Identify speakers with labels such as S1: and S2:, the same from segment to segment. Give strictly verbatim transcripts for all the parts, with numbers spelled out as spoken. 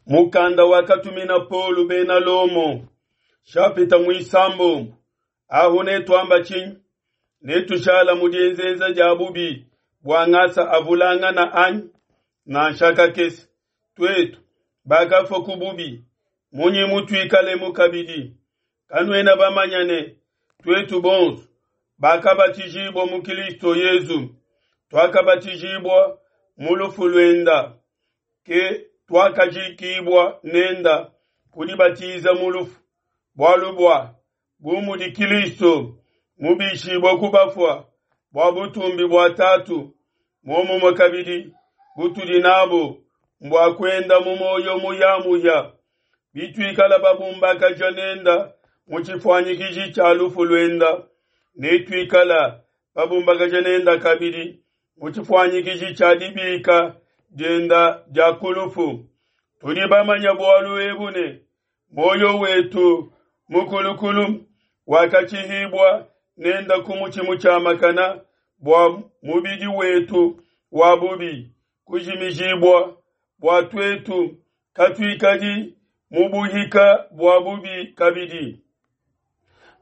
S1: Mukanda wakatumina Paulo bena Lomo, shapita muisambombo. Ahu netuamba tshinyi? Netushala mu dienzenza dia bubi bua ngasa avulangana anyi? Nansha kakese. Tuetu bakafua ku bubi, munyi mutuikalemu kabidi? Kanuena bamanya ne tuetu bonso bakabatijibua mu Kristo Yezu, tuakabatijibua mu lufu luenda? Ke tuakajikibua nenda ku dibatiza mu lufu, bualu bua bu mudi Kristo mubishibua ku bafua bua butumbi bua Tatu, muomumue kabidi butudi nabo mbua kuenda mu moyo muyamuya. Bituikala babumbakaja nenda mu tshifuanyikiji tshia lufu luenda, netuikala babumbakaja nenda kabidi mu tshifuanyikiji tshia dibika dienda dia ku lufu. Tudi bamanya bualu ebu ne moyo wetu mukulukulu wakatshihibua nenda ku mutshi mutshiamakana bua mubidi wetu wa bubi kujimijibua, bua tuetu katuikadi mu buhika bua bubi kabidi.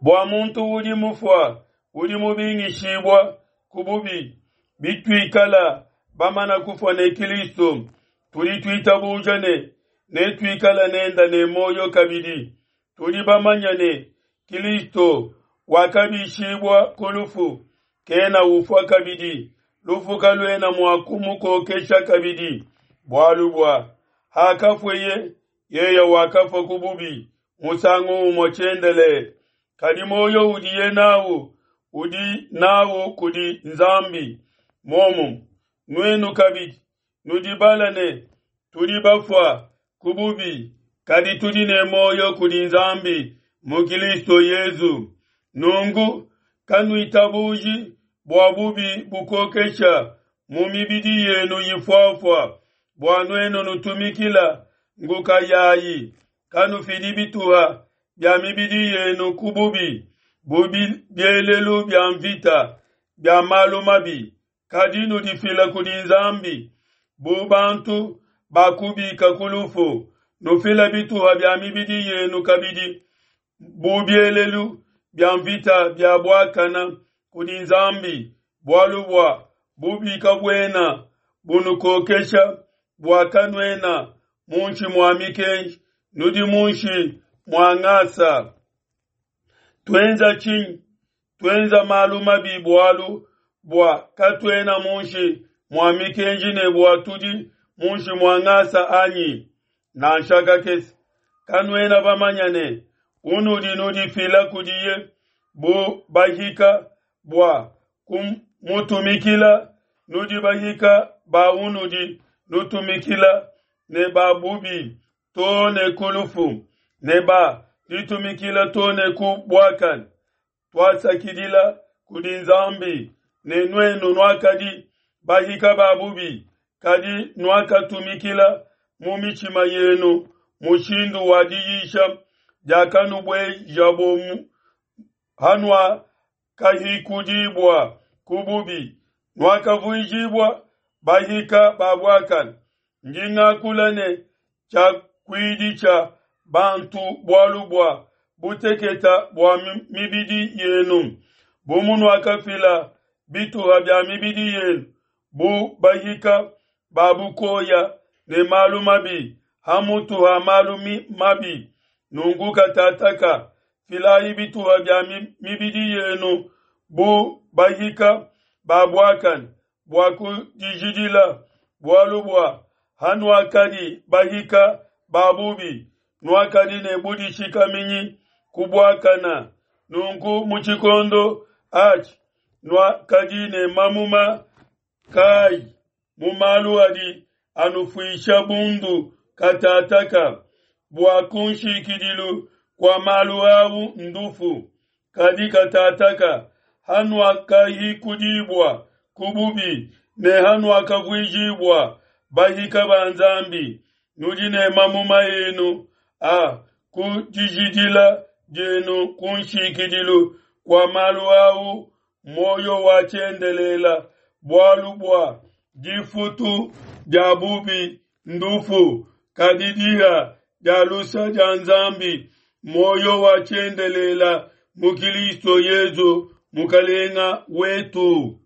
S1: Bua muntu udi mufua udi mubingishibua ku bubi. Bituikala bamana kufua ne Kristo, tudi tuitabuja ne netuikala nenda ne moyo kabidi. Tudi bamanya ne Kristo wakabishibua ku lufu, kena ufua kabidi, lufu kaluena mua kumukokesha kabidi. Bualu bua hakafueye, yeye wakafua ku bubi musangu umue tshiendelele, kadi moyo udiye nawu udi nawu kudi Nzambi. Muomumue nuenu kabidi nudibala ne tudi bafua ku bubi, kadi tudi ne moyo kudi Nzambi mu Kristo Yezu. Nunku kanuitabuji bua bubi bukokesha mu mibidi yenu ifuafua, bua nuenu nutumikila nguka yayi. Kanufidi bituha bia mibidi yenu ku bubi, bubi bielelu bia mvita bia malu mabi, kadi nudifila kudi Nzambi bu bantu bakubika ku lufu. Nufila bituha bia mibidi yenu kabidi bu bielelu bia mvita bia buakana kudi Nzambi, bualu bua bubi kabuena bunukokesha, bua kanuena munshi mua mikenji, nudi munshi mua ngasa. Tuenza tshinyi? Tuenza malu mabi bualu bua katuena munshi mua mikenji ne bua tudi munshi mua ngasa anyi? Nansha kakese. Kanuena bamanya ne unudi nudifila kudiye bu bahika bua kumutumikila, nudi bahika ba unudi nutumikila, ne ba bubi to ne ku lufu, ne ba ditumikila to ne ku buakane. Tuasakidila kudi Nzambi ne nuenu nuakadi bahika ba bubi, kadi nuakatumikila mu mitshima yenu mushindu wa diyisha diakanubuejabo hanuakahikudibua ku bubi, nuakavuijibua bahika ba buakane. Ndi ngakula ne tshiakuidi tshia bantu bualu bua buteketa bua mibidi yenu. Bu munuakafila bituha bia mibidi yenu bu bahika ba bukoya ne malu mabi hamutu ha malu mabi, nunku katataka filayi bituha bia mibidi yenu bu bahika ba buakane bua kudijidila, bualu bua hanuakadi bahika ba bubi, nuakadi ne budishikaminyi ku buakana. Nunku mu tshikondo atshi nuakadi ne mamuma kayi mu malu adi anufuisha bundu katataka, bua kunshikidilu kua malu au ndufu. Kadi katataka hanuakahikudibua ku bubi ne hanuakavuijibua bahika ba Nzambi, nudi ne mamuma enu a ku dijidila dienu kunshikidilu kua malu au moyo wa tshiendelela, bualu bua difutu dia bubi ndufu, Kadi diha dia lusa dia Nzambi moyo wa tshiendelela mu Kilisto Yezu Mukalenga wetu.